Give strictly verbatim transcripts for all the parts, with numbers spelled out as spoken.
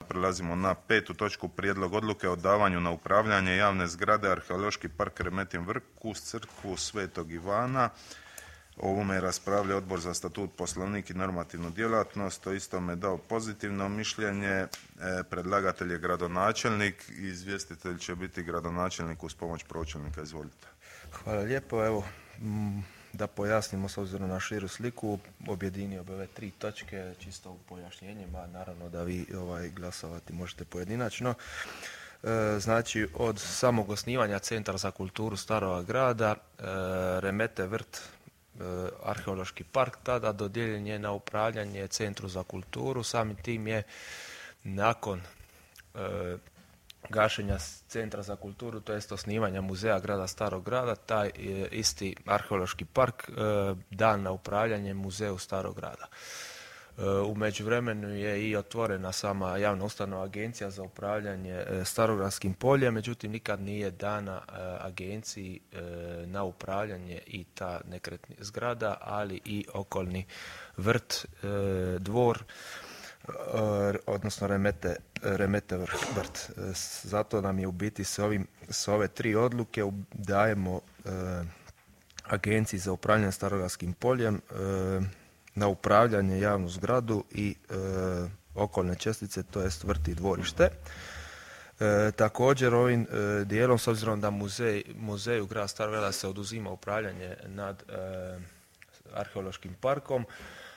Prelazimo na petu točku, prijedlog odluke o davanju na upravljanje javne zgrade Arheološki park Remetin Vrh uz crkvu Svetog Ivana. O ovome je raspravljao Odbor za statut, poslovnik i normativnu djelatnost. To isto me dao pozitivno mišljenje. E, predlagatelj je gradonačelnik i izvjestitelj će biti gradonačelnik uz pomoć pročelnika. Izvolite. Hvala lijepo. Evo, da pojasnimo s obzirom na širu sliku, objedinio bi ove tri točke čisto u pojašnjenjima, naravno da vi ovaj, glasovati možete pojedinačno. E, znači, od samog osnivanja Centra za kulturu Staroga grada, e, Remete Vrt, e, Arheološki park, tada dodijeljen je na upravljanje Centru za kulturu. Samim tim je nakon e, gašenja Centra za kulturu, to jest osnivanja muzeja grada Starog grada, taj isti arheološki park dan na upravljanje muzeju Starog grada. U međuvremenu je i otvorena sama javna ustanova Agencija za upravljanje Starogradskim poljem, međutim nikad nije dana agenciji na upravljanje i ta nekretna zgrada, ali i okolni vrt, dvor, odnosno remete, remete vrt. Zato nam je u biti s, ovim, s ove tri odluke dajemo e, Agenciji za upravljanje Starogradskim poljem e, na upravljanje javnu zgradu i e, okolne čestice, to jest vrt i dvorište. E, također ovim e, dijelom, s obzirom da muzej, muzeju grada Starog grada se oduzima upravljanje nad e, arheološkim parkom,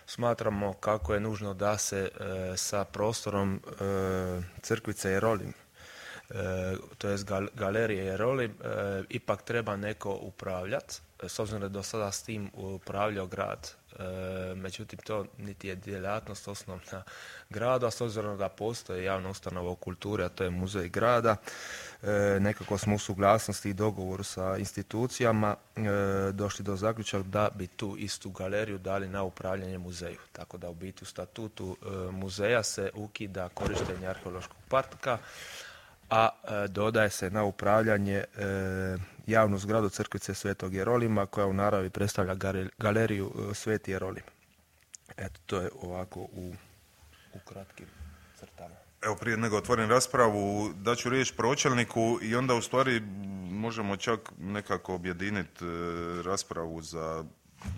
smatramo kako je nužno da se e, sa prostorom e, crkvice Jerolim, e, to jest gal, galerije Jerolim, e, ipak treba neko upravljati, s obzirom da je do sada s tim upravljao grad. E, međutim, to niti je djelatnost osnovna grada, a s obzirom da postoje javna ustanova u kulturi, a to je muzej grada, e, nekako smo u suglasnosti i dogovoru sa institucijama e, došli do zaključaka da bi tu istu galeriju dali na upravljanje muzeju. Tako da u biti u statutu e, muzeja se ukida korištenje arheološkog parka, a e, dodaje se na upravljanje e, javnu zgradu crkvice Svetog Jerolima, koja u naravi predstavlja galeriju e, Sveti Jerolim. Eto, to je ovako u, u kratkim crtama. Evo, prije nego otvorim raspravu, daću riječ pročelniku i onda u stvari možemo čak nekako objediniti e, raspravu za,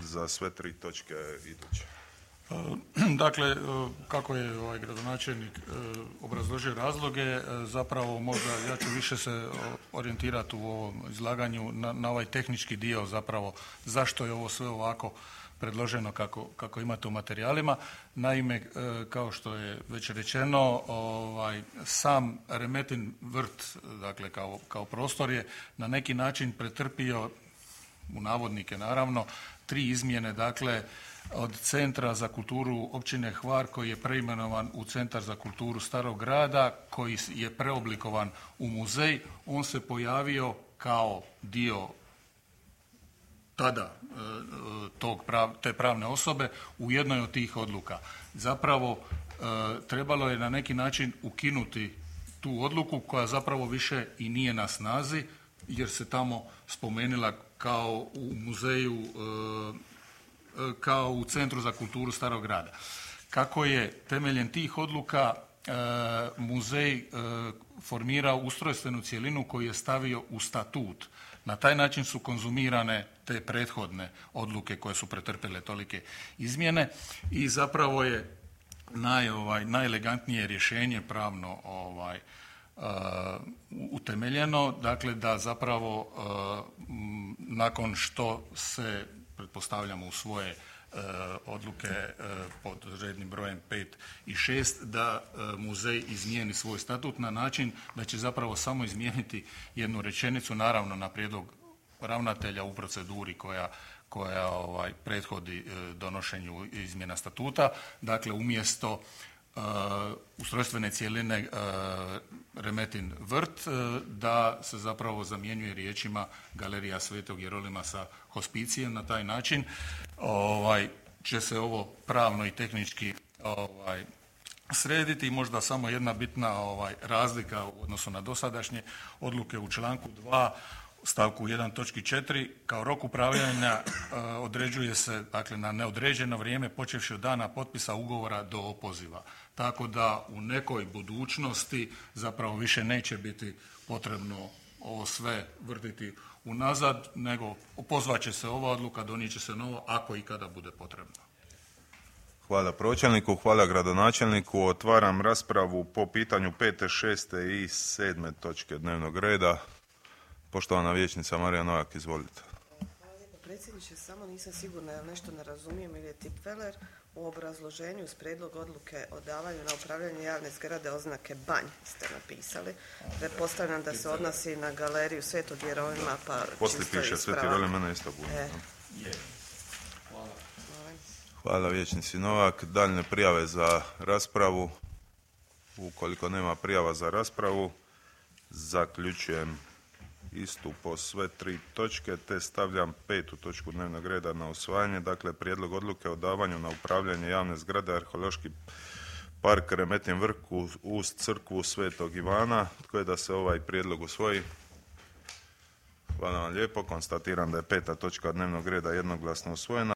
za sve tri točke iduće. Dakle, kako je ovaj gradonačelnik obrazložio razloge, zapravo možda ja ću više se orijentirati u ovom izlaganju na, na ovaj tehnički dio, zapravo zašto je ovo sve ovako predloženo kako, kako imate u materijalima. Naime, kao što je već rečeno, ovaj, sam Remetin vrt, dakle kao, kao prostor je na neki način pretrpio, u navodnike naravno, tri izmjene, dakle, od Centra za kulturu općine Hvar, koji je preimenovan u Centar za kulturu Starog grada, koji je preoblikovan u muzej. On se pojavio kao dio tada tog prav, te pravne osobe u jednoj od tih odluka. Zapravo trebalo je na neki način ukinuti tu odluku koja zapravo više i nije na snazi, jer se tamo spomenula kao u muzeju, kao u Centru za kulturu Starog grada. Kako je temeljem tih odluka e, muzej e, formirao ustrojstvenu cjelinu koju je stavio u statut. Na taj način su konzumirane te prethodne odluke koje su pretrpjele tolike izmjene i zapravo je naj, ovaj, najelegantnije rješenje pravno ovaj, uh, utemeljeno, dakle da zapravo uh, nakon što se pretpostavljamo u svoje uh, odluke uh, pod rednim brojem pet i šest, da uh, muzej izmijeni svoj statut na način da će zapravo samo izmijeniti jednu rečenicu, naravno na prijedlog ravnatelja u proceduri koja, koja ovaj, prethodi uh, donošenju izmjena statuta. Dakle, umjesto Uh, ustrojstvene cjeline uh, Remetin vrt, uh, da se zapravo zamjenjuje riječima Galerija Svetog Jerolima sa hospicijem. Na taj način ovaj, će se ovo pravno i tehnički ovaj, srediti. I možda samo jedna bitna ovaj, razlika u odnosu na dosadašnje odluke u članku dva stavku jedan točki četiri kao rok upravljanja određuje se dakle na neodređeno vrijeme počevši od dana potpisa ugovora do opoziva. Tako da u nekoj budućnosti zapravo više neće biti potrebno ovo sve vrtiti unazad, nego opozvat će se ova odluka, donijet će se novo ako i kada bude potrebno. Hvala pročelniku, hvala gradonačelniku. Otvaram raspravu po pitanju pete, šeste i sedme točke dnevnog reda. Poštovana vijećnica Marija Novak, izvolite. Hvala lijepo predsjedniče, samo nisam sigurna jel nešto ne razumijem ili je tipfeler. U obrazloženju uz prijedlog odluke o davanju na upravljanje javne zgrade oznake banj ste napisali. Pretpostavljam da se odnosi na galeriju Svetog Jeronima, pa poslije piše Sveti Jeronim, mene isto bude. E. Hvala. Hvala vijećnici Novak. Daljne prijave za raspravu. Ukoliko nema prijava za raspravu, zaključujem istu po sve tri točke, te stavljam petu točku dnevnog reda na usvajanje, dakle prijedlog odluke o davanju na upravljanje javne zgrade Arheološki park Remetin vrh uz crkvu Svetog Ivana. Tko je da se ovaj prijedlog usvoji? Hvala vam lijepo. Konstatiram da je peta točka dnevnog reda jednoglasno usvojena.